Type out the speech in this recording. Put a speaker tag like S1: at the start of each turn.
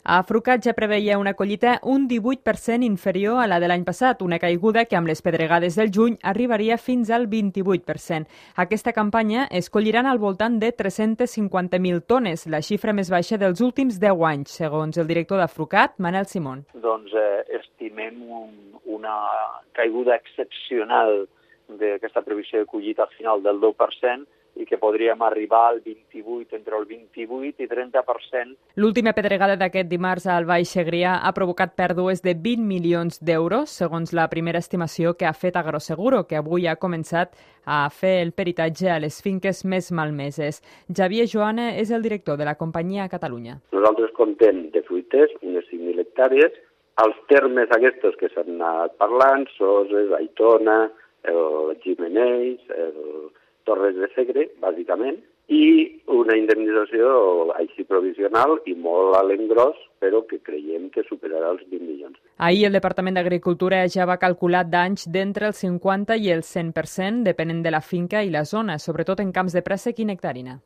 S1: Afrucat ja preveia una collita un 18% inferior a la de l'any passat, una caiguda que amb les pedregades del juny arribaria fins al 28%. Aquesta campanya es colliran al voltant de 350.000 tones, la xifra més baixa dels últims 10 anys, segons el director d'Afrucat, Manel Simón.
S2: Doncs estimem una caiguda excepcional d'aquesta previsió de collita al final del 10%, i que podríem arribar al 28, entre el 28 i 30%.
S1: L'última pedregada d'aquest dimarts al Baix Segrià ha provocat pèrdues de 20 milions d'euros, segons la primera estimació que ha fet Agroseguro, que avui ha començat a fer el peritatge a les finques més malmeses. Javier Joana és el director de la companyia a Catalunya.
S3: Nosaltres contem de fruiters unes 5.000 hectàrees. Els termes aquests que s'han anat parlant, Soses, Aitona, el Gimenells, el Torres de Segre, bàsicament, i una indemnització així provisional i molt a l'engròs, però que creiem que superarà els 20 milions.
S1: Ahir el Departament d'Agricultura ja va calcular danys d'entre el 50 i el 100%, depenent de la finca i la zona, sobretot en camps de préssec i nectarina.